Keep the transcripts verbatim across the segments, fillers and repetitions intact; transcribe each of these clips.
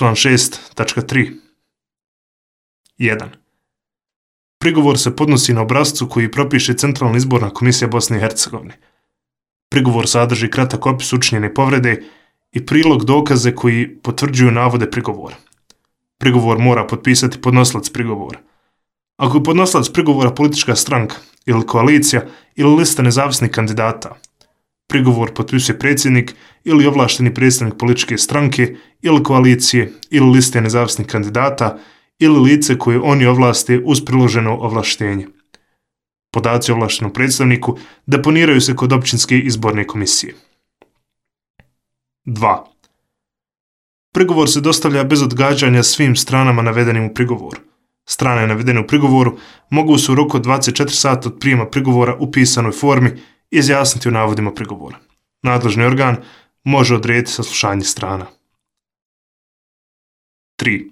Član šest tačka tri. jedan. Prigovor se podnosi na obrascu koji propiše Centralna izborna komisija Bosne i Hercegovine. Prigovor sadrži kratak opis učinjene povrede i prilog dokaze koji potvrđuju navode prigovora. Prigovor mora potpisati podnosilac prigovora. Ako je podnosilac prigovora politička stranka ili koalicija ili lista nezavisnih kandidata, prigovor potpisuje predsjednik ili ovlašteni predstavnik političke stranke ili koalicije ili liste nezavisnih kandidata ili lice koje oni ovlaste uz priloženo ovlaštenje. Podaci o ovlaštenom predstavniku deponiraju se kod općinske izborne komisije. dva. Prigovor se dostavlja bez odgađanja svim stranama navedenim u prigovoru. Strane navedene u prigovoru mogu se u roku od dvadeset četiri sata od prijema prigovora u pisanoj formi izjasniti o navodima prigovora. Nadležni organ može odrediti saslušanje strana. tri.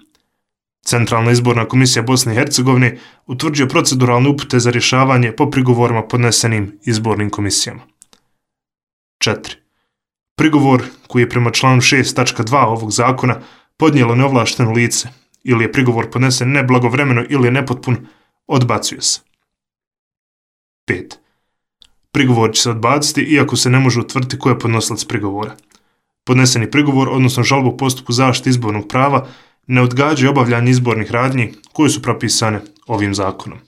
Centralna izborna komisija Bosne i Hercegovine utvrđuje proceduralne upute za rješavanje po prigovorima podnesenim izbornim komisijama. četiri. Prigovor koji je prema članu šest tačka dva ovog zakona podnijelo neovlašteno lice ili je prigovor podnesen neblagovremeno ili je nepotpun, odbacuje se. pet. Prigovor će se odbaciti iako se ne može utvrditi ko je podnosilac prigovora. Podneseni prigovor, odnosno žalba u postupku zaštite izbornog prava, ne odgađa obavljanje izbornih radnji koje su propisane ovim zakonom.